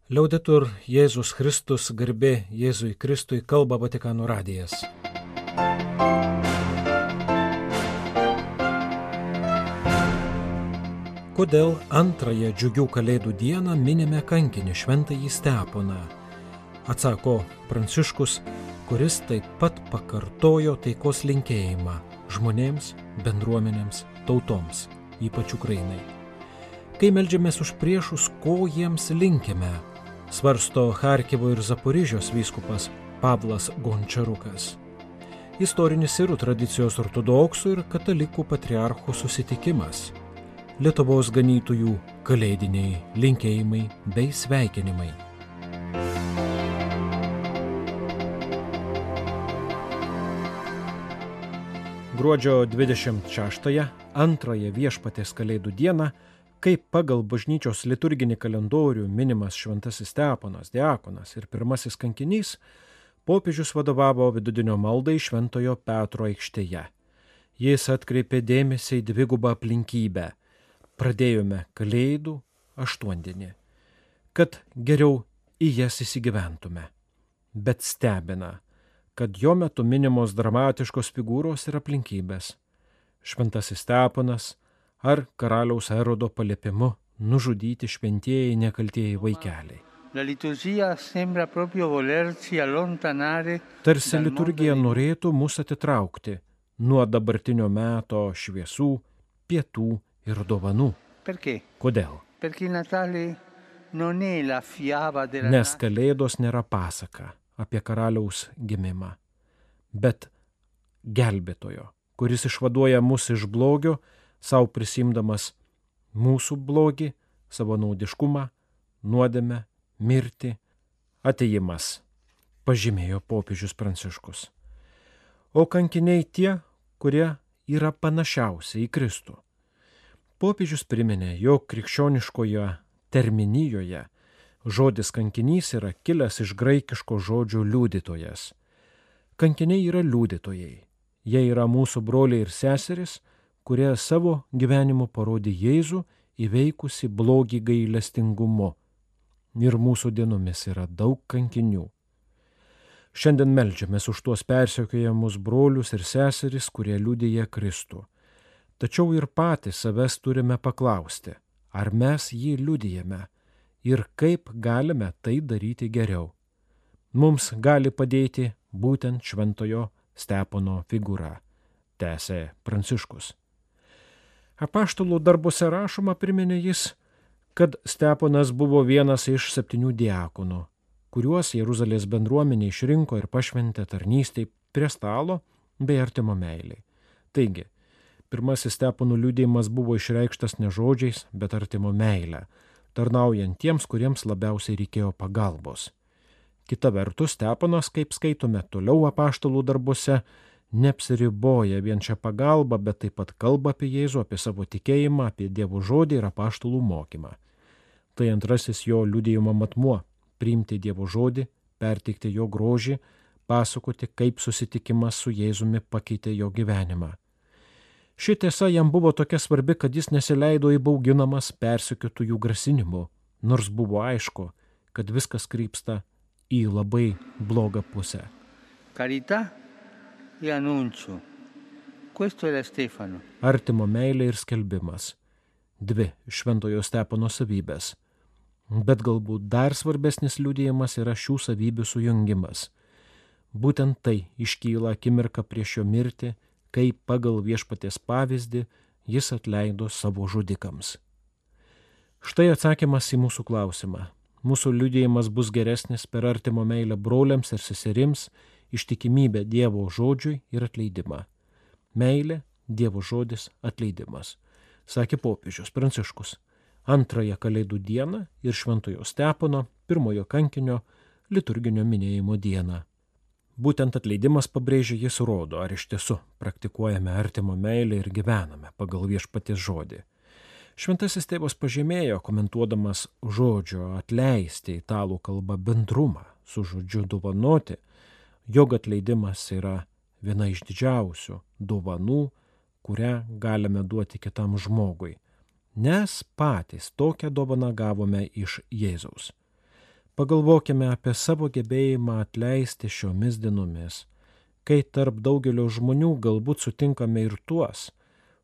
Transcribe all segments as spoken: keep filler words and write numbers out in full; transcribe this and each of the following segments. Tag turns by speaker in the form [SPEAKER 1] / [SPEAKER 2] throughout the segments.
[SPEAKER 1] Liaudetur Jėzus Kristus, garbė Jėzui Kristui, kalba Vatikano radijas. Kodėl antrąją džiugių kalėdų dieną minime kankinį šventąjį Steponą? Atsako Pranciškus, kuris taip pat pakartojo taikos linkėjimą žmonėms, bendruomenėms, tautoms, ypač Ukrainai. Kai meldžiamės už priešus, ko jiems linkime, svarsto Charkivo ir Zaporižės vyskupas Pavlas Gončarukas. Istorinis sirų tradicijos ortodoksų ir katalikų patriarchų susitikimas. Lietuvos ganytojų kalėdiniai linkėjimai bei sveikinimai. Gruodžio dvidešimt šeštąją, antrąją Viešpaties kalėdų dieną, kaip pagal bažnyčios liturginį kalendorių minimas šventasis Steponas, diakonas ir pirmasis kankinys, popiežius vadovavo vidudienio maldai Šventojo Petro aikštėje. Jis atkreipė dėmesį į dvigubą aplinkybę. Pradėjome kalėdų aštuondienį, kad geriau į jas įsigyventume. Bet stebina, kad jo metu minimos dramatiškos figūros ir aplinkybės. Šventasis Steponas ar karaliaus Erodo paliepimu nužudyti šventieji nekaltieji vaikeliai. Tarsi liturgija norėtų mus atitraukti nuo dabartinio meto šviesų, pietų ir dovanų. Kodėl? Nes kalėdos nėra pasaka apie karaliaus gimimą, bet gelbėtojo, kuris išvaduoja mus iš blogio, sau prisimdamas mūsų blogį, savo naudiškumą, nuodėmę, mirtį, atėjimas, pažymėjo popiežius Pranciškus. O kankiniai tie, kurie yra panašiausi į Kristų. Popiežius priminė, jog krikščioniškoje terminijoje žodis kankinys yra kilęs iš graikiško žodžio liudytojas. Kankiniai yra liudytojai. Jie yra mūsų broliai ir seserys, kurie savo gyvenimu parodė Jėzų įveikusi blogį gailestingumu. Ir mūsų dienomis yra daug kankinių. Šiandien meldžiamės už tuos persekiojamus brolius ir seseris, kurie liudija Kristų. Tačiau ir patys savęs turime paklausti, ar mes jį liudijame ir kaip galime tai daryti geriau. Mums gali padėti būtent šventojo Stepono figūra, tęsė Pranciškus. Apaštalų darbuose rašoma, priminė jis, kad Steponas buvo vienas iš septynių diakonų, kuriuos Jeruzalės bendruomenė išrinko ir pašventė tarnystei prie stalo bei artimo meiliai. Taigi, pirmasis Stepono liudijimas buvo išreikštas ne žodžiais, bet artimo meilę, tarnaujant tiems, kuriems labiausiai reikėjo pagalbos. Kita vertus, Steponas, kaip skaitome toliau apaštalų darbuose, neapsiriboja vien šią pagalbą, bet taip pat kalba apie Jėzų, apie savo tikėjimą, apie Dievo žodį ir apaštalų mokymą. Tai antrasis jo liudijimo matmuo – priimti Dievo žodį, perteikti jo grožį, pasakoti, kaip susitikimas su Jėzumi pakeitė jo gyvenimą. Ši tiesa jam buvo tokia svarbi, kad jis nesileido įbauginamas persekiotojų grasinimų, nors buvo aišku, kad viskas krypsta į labai blogą pusę.
[SPEAKER 2] Carità e annuncio. Questo era Stefano.
[SPEAKER 1] Artimo meilė ir skelbimas. Dvi šventojo Stepono savybės. Bet galbūt dar svarbesnis liudijimas yra šių savybių sujungimas. Būtent tai iškyla akimirka prieš jo mirtį, kai pagal Viešpaties pavyzdį jis atleido savo žudikams. Štai atsakymas į mūsų klausimą. Mūsų liudijimas bus geresnis per artimo meilę broliams ir seserims, ištikimybę Dievo žodžiui ir atleidimą. Meilė, Dievo žodis, atleidimas, sakė popiežius Pranciškus, antrąją kalėdų dieną ir šventojo Stepono, pirmojo kankinio, liturginio minėjimo dieną. Būtent atleidimas, pabrėžia, jis rodo, ar iš tiesų praktikuojame artimo meilę ir gyvename pagal Viešpaties žodį. Šventasis tėvas pažymėjo, komentuodamas žodžio atleisti italų kalbą bendrumą su žodžiu dovanoti, jog atleidimas yra viena iš didžiausių dovanų, kurią galime duoti kitam žmogui, nes patys tokią dovaną gavome iš Jėzaus. Pagalvokime apie savo gebėjimą atleisti šiomis dienomis, kai tarp daugelio žmonių galbūt sutinkame ir tuos,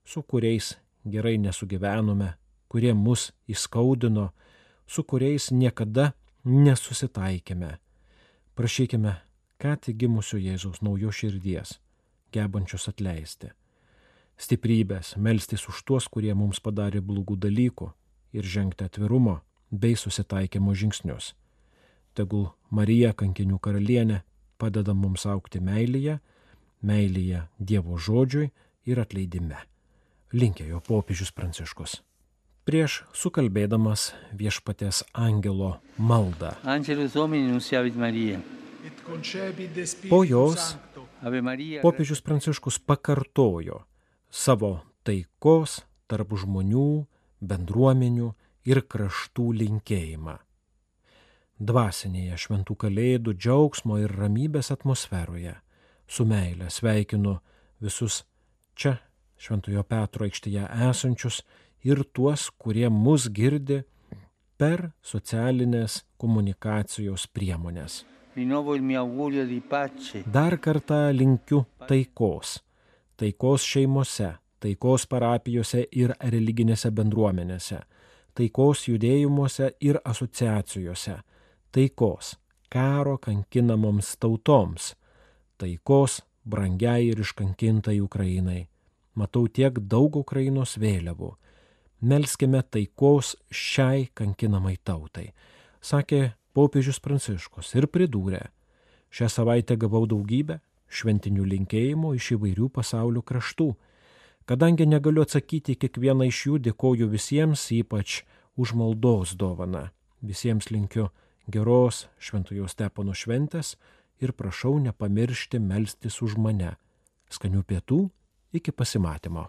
[SPEAKER 1] su kuriais gerai nesugyvenome, kurie mus įskaudino, su kuriais niekada nesusitaikėme. Prašykime ką tik gimusio Jėzaus naujos širdies, gebančios atleisti. Stiprybės melstis už tuos, kurie mums padarė blogų dalykų ir žengti atvirumo bei susitaikymo žingsnius. Tegul Marija, kankinių karalienė, padeda mums augti meilėje, meilėje Dievo žodžiui ir atleidime. Linkėjo popiežius Pranciškus. Prieš sukalbėdamas Viešpaties angelo maldą.
[SPEAKER 2] Angelus Domini nunciavit Maria.
[SPEAKER 1] Po jos popiežius Pranciškus pakartojo savo taikos tarp žmonių, bendruomenių ir kraštų linkėjimą. Dvasinėje šventų kalėdų džiaugsmo ir ramybės atmosferoje su meile sveikinu visus čia Šventojo Petro aikštėje esančius ir tuos, kurie mus girdi per socialinės komunikacijos priemonės. Dar kartą linkiu taikos. Taikos šeimose, taikos parapijose ir religinėse bendruomenėse, taikos judėjimuose ir asociacijose, taikos karo kankinamoms tautoms, taikos brangiai ir iškankintai Ukrainai. Matau tiek daug Ukrainos vėliavų. Melskime taikos šiai kankinamai tautai, sakė popiežius Pranciškus ir pridūrė. Šią savaitę gavau daugybę šventinių linkėjimų iš įvairių pasaulio kraštų. Kadangi negaliu atsakyti kiekvieną iš jų, dėkoju visiems, ypač už maldos dovaną. Visiems linkiu geros Šventojo Stepono šventės ir prašau nepamiršti melstis už mane. Skanių pietų, iki pasimatymo.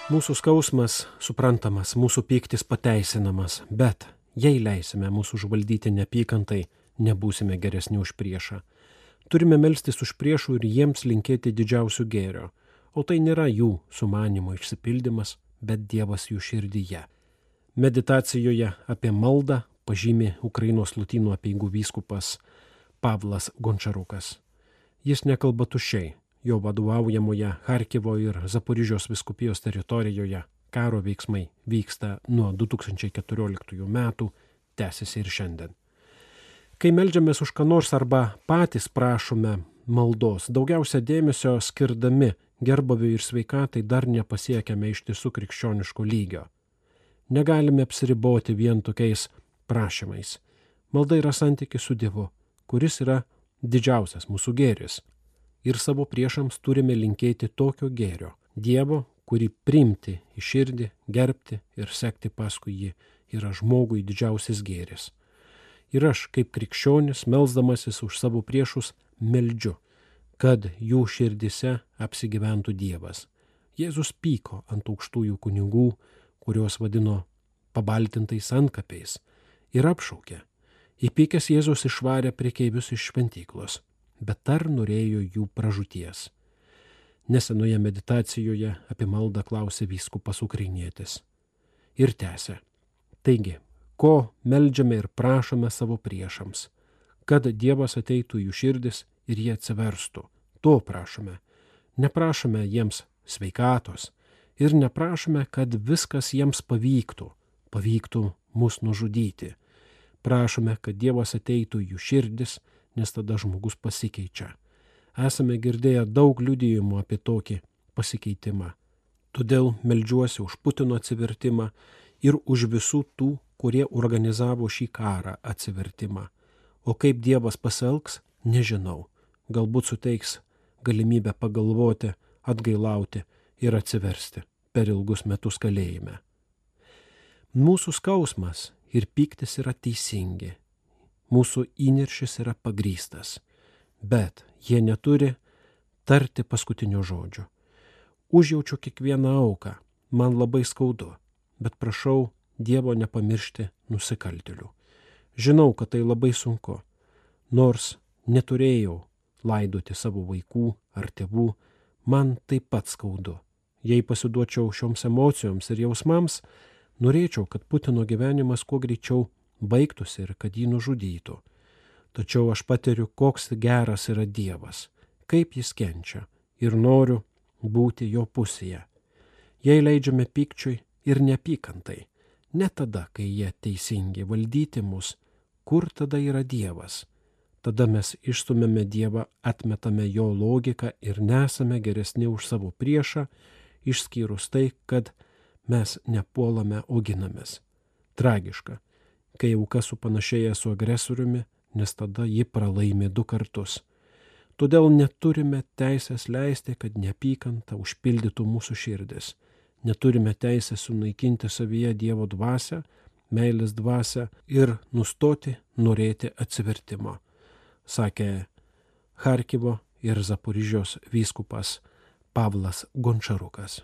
[SPEAKER 1] Mūsų skausmas suprantamas, mūsų pyktis pateisinamas, bet jei leisime mūsų užvaldyti neapykantai, nebūsime geresni už priešą. Turime melstis už priešų ir jiems linkėti didžiausių gėrio, o tai nėra jų sumanimo išsipildymas, bet Dievas jų širdyje. Meditacijoje apie maldą pažymi Ukrainos lotynų apeigų vyskupas Pavlas Gončarukas. Jis nekalba tuščiai. Jo vadovaujamoje Charkivo ir Zaporižios vyskupijos teritorijoje karo veiksmai vyksta nuo du tūkstančiai keturioliktųjų metų, tęsiasi ir šiandien. Kai meldžiamės už ką nors arba patys prašome maldos, daugiausia dėmesio skirdami gerbuviui ir sveikatai dar nepasiekiame ištisų krikščioniško lygio. Negalime apsiriboti vien tokiais prašymais. Malda yra santykis su Dievu, kuris yra didžiausias mūsų gėris. Ir savo priešams turime linkėti tokio gėrio, Dievo, kurį priimti į širdį, gerbti ir sekti paskui jį, yra žmogui didžiausias gėris. Ir aš, kaip krikščionis, melsdamasis už savo priešus, meldžiu, kad jų širdise apsigyventų Dievas. Jėzus pyko ant aukštųjų kunigų, kuriuos vadino pabaltintais antkapiais, ir apšaukė. Įpykęs Jėzus išvarė prekeivius iš šventyklos, bet dar norėjo jų pražūties. Nesenoje meditacijoje apie maldą klausė vyskupas ukrainietis. Ir tęsė. Taigi, ko meldžiame ir prašome savo priešams, kad Dievas ateitų jų širdis ir jie atsiverstų. To prašome. Neprašome jiems sveikatos ir neprašome, kad viskas jiems pavyktų, pavyktų mus nužudyti. Prašome, kad Dievas ateitų jų širdis, nes tada žmogus pasikeičia. Esame girdėję daug liudijimų apie tokį pasikeitimą. Todėl meldžiuosi už Putino atsivertimą ir už visų tų, kurie organizavo šį karą atsivertimą. O kaip Dievas pasielgs, nežinau. Galbūt suteiks galimybę pagalvoti, atgailauti ir atsiversti per ilgus metus kalėjime. Mūsų skausmas ir pyktis yra teisingi. Mūsų įniršis yra pagrįstas, bet jie neturi tarti paskutinio žodžio. Užjaučiu kiekvieną auką, man labai skaudu, bet prašau Dievo nepamiršti nusikaltėlių. Žinau, kad tai labai sunku, nors neturėjau laidoti savo vaikų ar tėvų, man taip pat skaudu. Jei pasiduočiau šioms emocijoms ir jausmams, norėčiau, kad Putino gyvenimas kuo greičiau baigtųsi ir kad jį nužudytų. Tačiau aš patiriu, koks geras yra Dievas, kaip jis kenčia ir noriu būti jo pusėje. Jei leidžiame pykčiui ir neapykantai, ne tada, kai jie teisingi valdyti mus, kur tada yra Dievas? Tada mes išstumėme Dievą, atmetame jo logiką ir nesame geresni už savo priešą, išskyrus tai, kad mes nepuolame, o ginamės. Tragiška, kai auka supanašėja su agresoriumi, nes tada ji pralaimi du kartus. Todėl neturime teisės leisti, kad neapykanta užpildytų mūsų širdis. Neturime teisės sunaikinti savyje Dievo dvasią, meilės dvasią ir nustoti norėti atsivertimo, sakė Charkivo ir Zaporižės vyskupas Pavlas Gončarukas.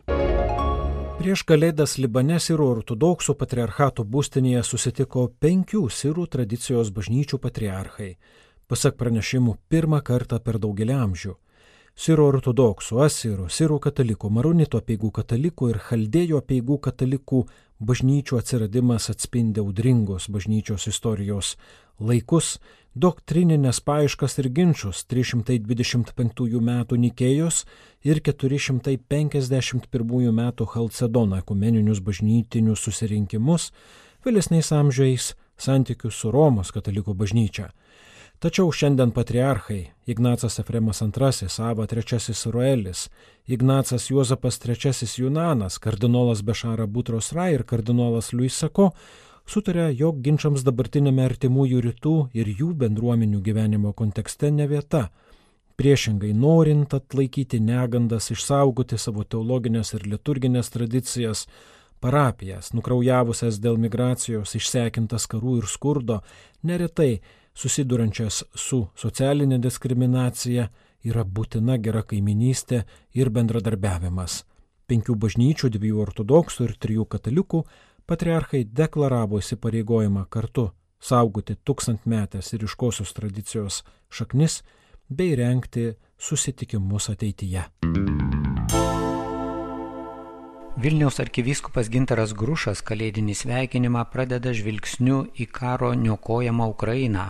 [SPEAKER 1] Prieš Kalėdas Libane sirų ortodoksų patriarchato būstinėje susitiko penkių sirų tradicijos bažnyčių patriarchai, pasak pranešimų pirmą kartą per daugelį amžių. Sirų ortodoksų, asirų, sirų katalikų, maronitų apeigų katalikų ir chaldėjų apeigų katalikų bažnyčių atsiradimas atspindi audringos bažnyčios istorijos laikus, doktrininės paieškas ir ginčus trys šimtai dvidešimt penktųjų metų Nikėjos ir keturi šimtai penkiasdešimt pirmųjų metų Chalcedono ekumeninius bažnytinius susirinkimus, vėlesniais amžiais santykius su Romos katalikų bažnyčia. Tačiau šiandien patriarchai Ignacas Efremas antrasis, Ava trečiasis Roelis, Ignacas Juozapas trečiasis Junanas, kardinolas Bešara Butros Rai ir kardinolas Luis Sako sutarė, jog ginčams dabartinėme artimųjų rytų ir jų bendruomenių gyvenimo kontekste ne vieta. Priešingai, norint atlaikyti negandas, išsaugoti savo teologinės ir liturginės tradicijas, parapijas, nukraujavusias dėl migracijos, išsekintas karų ir skurdo, neretai susidurančias su socialinė diskriminacija, yra būtina gera kaiminystė ir bendradarbiavimas. Penkių bažnyčių, dviejų ortodoksų ir trijų katalikų patriarchai deklaravo įsipareigojimą kartu saugoti tūkstantmetės ir ryškosios tradicijos šaknis bei rengti susitikimus ateityje.
[SPEAKER 3] Vilniaus arkivyskupas Gintaras Grušas kalėdinį sveikinimą pradeda žvilgsniu į karo niokojamą Ukrainą,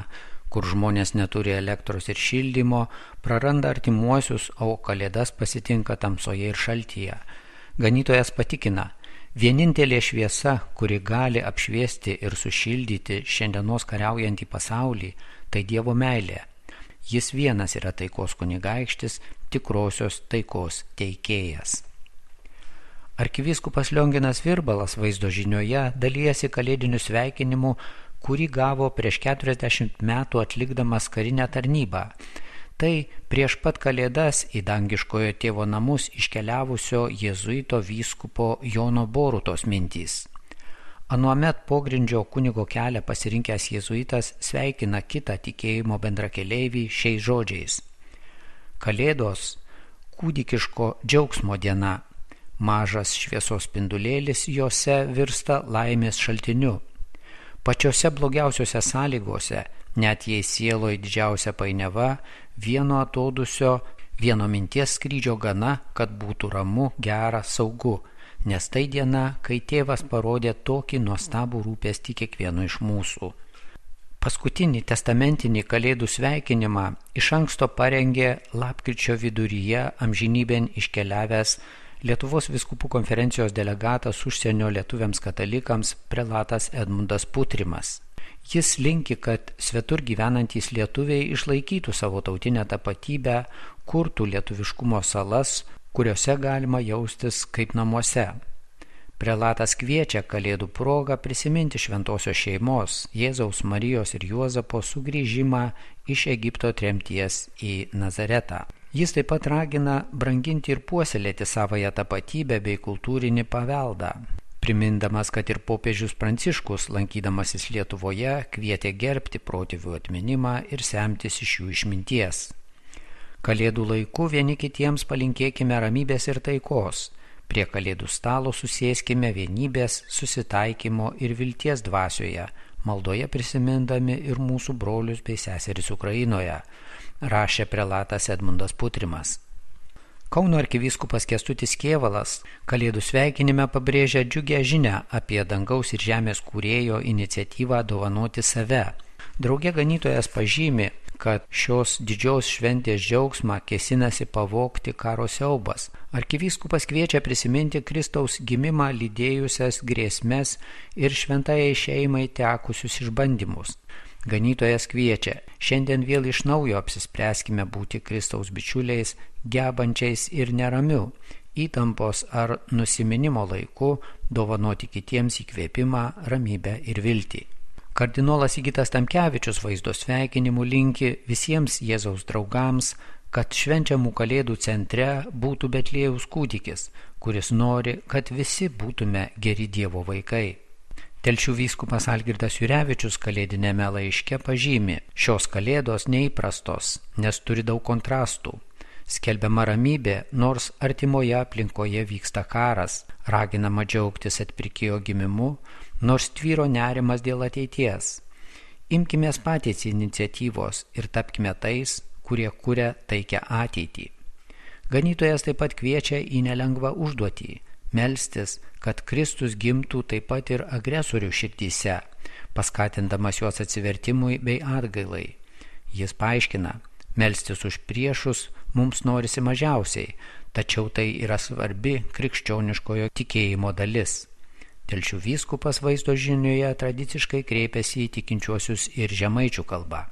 [SPEAKER 3] kur žmonės neturi elektros ir šildymo, praranda artimuosius, o kalėdas pasitinka tamsoje ir šaltyje. Ganytojas patikina, vienintelė šviesa, kuri gali apšviesti ir sušildyti šiandienos kariaujantį pasaulį, tai Dievo meilė. Jis vienas yra taikos kunigaikštis, tikrosios taikos teikėjas. Arkivyskupas Lionginas Virbalas vaizdo žinioje dalijasi kalėdiniu sveikinimu, kurį gavo prieš keturiasdešimt metų atlikdamas karinę tarnybą. Tai prieš pat kalėdas į dangiškojo tėvo namus iškeliavusio jėzuito vyskupo Jono Borutos mintys. Anuomet pogrindžio kunigo kelią pasirinkęs jėzuitas sveikina kitą tikėjimo bendrakeleivį šiais žodžiais. Kalėdos – kūdikiško džiaugsmo diena. Mažas šviesos spindulėlis jose virsta laimės šaltiniu. Pačiose blogiausiose sąlygose, net jei sieloje didžiausia painiava, vieno atodusio, vieno minties skrydžio gana, kad būtų ramu, gera, saugu, nes tai diena, kai tėvas parodė tokį nuostabų rūpestį kiekvieno iš mūsų. Paskutinį testamentinį kalėdų sveikinimą iš anksto parengė lapkričio viduryje amžinybėn iškeliavęs Lietuvos vyskupų konferencijos delegatas užsienio lietuviams katalikams prelatas Edmundas Putrimas. Jis linki, kad svetur gyvenantys lietuviai išlaikytų savo tautinę tapatybę, kurtų lietuviškumo salas, kuriuose galima jaustis kaip namuose. Prelatas kviečia kalėdų progą prisiminti šventosios šeimos, Jėzaus, Marijos ir Juozapo sugrįžimą iš Egipto tremties į Nazaretą. Jis taip pat ragina branginti ir puoselėti savąją tapatybę bei kultūrinį paveldą, primindamas, kad ir popiežius Pranciškus, lankydamasis Lietuvoje, kvietė gerbti protėvių atminimą ir semtis iš jų išminties. Kalėdų laiku vieni kitiems palinkėkime ramybės ir taikos, prie kalėdų stalo susėskime vienybės, susitaikymo ir vilties dvasioje, maldoje prisimindami ir mūsų brolius bei seseris Ukrainoje, rašė prelatas Edmundas Putrimas. Kauno arkivyskupas Kęstutis Kėvalas Kalėdų sveikinime pabrėžia džiugią žinią apie dangaus ir žemės kūrėjo iniciatyvą dovanoti save. Drauge ganytojas pažymi, kad šios didžios šventės džiaugsmą kėsinasi pavogti karo siaubas. Arkivyskupas kviečia prisiminti Kristaus gimimą lydėjusias grėsmes ir šventajai šeimai tekusius išbandymus. Ganytojas kviečia, šiandien vėl iš naujo apsispręskime būti Kristaus bičiuliais, gebančiais ir neramiu, įtampos ar nusiminimo laiku dovanoti kitiems įkvėpimą, ramybę ir viltį. Kardinolas Sigitas Tamkevičius vaizdo sveikinimų linki visiems Jėzaus draugams, kad švenčiamų Kalėdų centre būtų Betliejaus kūdikis, kuris nori, kad visi būtume geri Dievo vaikai. Telšių vyskupas Algirdas Jurevičius kalėdinėme laiške pažymi, šios Kalėdos neįprastos, nes turi daug kontrastų. Skelbiama ramybė, nors artimoje aplinkoje vyksta karas, raginama džiaugtis atpirkėjo gimimu, nors tvyro nerimas dėl ateities. Imkimės patys iniciatyvos ir tapkime tais, kurie kuria taikią ateitį. Ganytojas taip pat kviečia į nelengvą užduotį – melstis, kad Kristus gimtų taip pat ir agresorių širdyse, paskatindamas juos atsivertimui bei atgailai. Jis paaiškina, melstis už priešus mums norisi mažiausiai, tačiau tai yra svarbi krikščioniškojo tikėjimo dalis. Telšių vyskupas vaizdo žinioje tradiciškai kreipiasi į tikinčiuosius ir žemaičių kalba.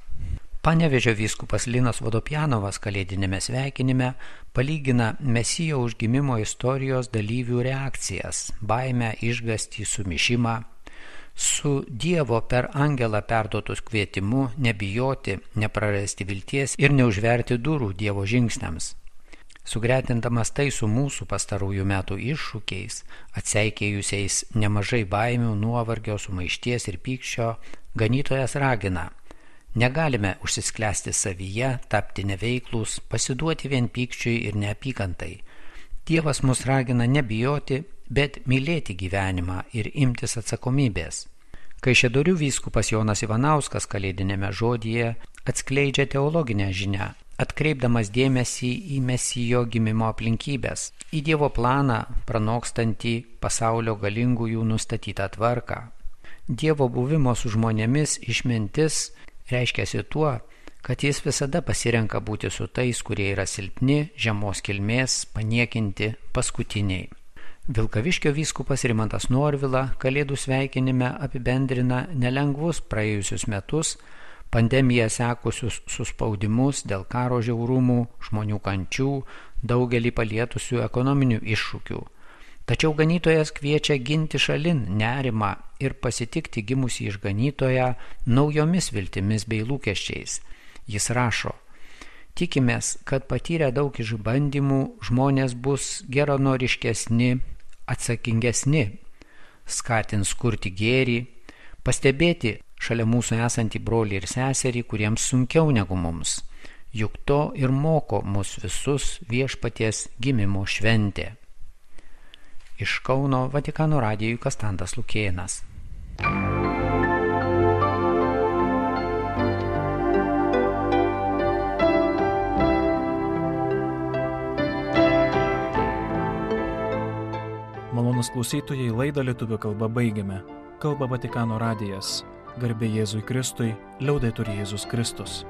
[SPEAKER 3] Panevėžio vyskupas Linas Vodopjanovas kalėdinėme sveikinime palygina Mesijo užgimimo istorijos dalyvių reakcijas, baimę, išgąstį, sumišimą, su Dievo per angelą perduotus kvietimu nebijoti, neprarasti vilties ir neužverti durų Dievo žingsniams. Sugretindamas tai su mūsų pastarųjų metų iššūkiais, atseikėjusiais nemažai baimių, nuovargio, sumaišties ir pykčio, ganytojas ragina: negalime užsisklęsti savyje, tapti neveiklūs, pasiduoti vien pykčiui ir neapykantai. Dievas mus ragina nebijoti, bet mylėti gyvenimą ir imtis atsakomybės. Kaišiadorių vyskupas Jonas Ivanauskas kalėdinėme žodyje atskleidžia teologinę žinią, atkreipdamas dėmesį į Mesijo gimimo aplinkybės, į Dievo planą pranokstantį pasaulio galingųjų nustatytą tvarką. Dievo buvimo su žmonėmis išmintis reiškiasi tuo, kad jis visada pasirenka būti su tais, kurie yra silpni, žemos kilmės, paniekinti, paskutiniai. Vilkaviškio vyskupas Rimantas Norvila kalėdų sveikinime apibendrina nelengvus praėjusius metus, pandemiją sekusius suspaudimus dėl karo žiaurumų, žmonių kančių, daugelį palietusių ekonominių iššūkių. Tačiau ganytojas kviečia ginti šalin nerimą ir pasitikti gimusį išganytoją naujomis viltimis bei lūkesčiais. Jis rašo: tikimės, kad patyrę daug išbandymų žmonės bus geranoriškesni, atsakingesni, skatins kurti gėrį, pastebėti šalia mūsų esantį brolį ir seserį, kuriems sunkiau negu mums. Juk to ir moko mus visus Viešpaties gimimo šventė. Iš Kauno Vatikano radijui Kastantas Lukėnas.
[SPEAKER 1] Malonūs klausytojai, laidą lietuvių kalba baigiame. Kalba Vatikano radijas. Garbė Jėzui Kristui, liaudetur Jėzus Kristus.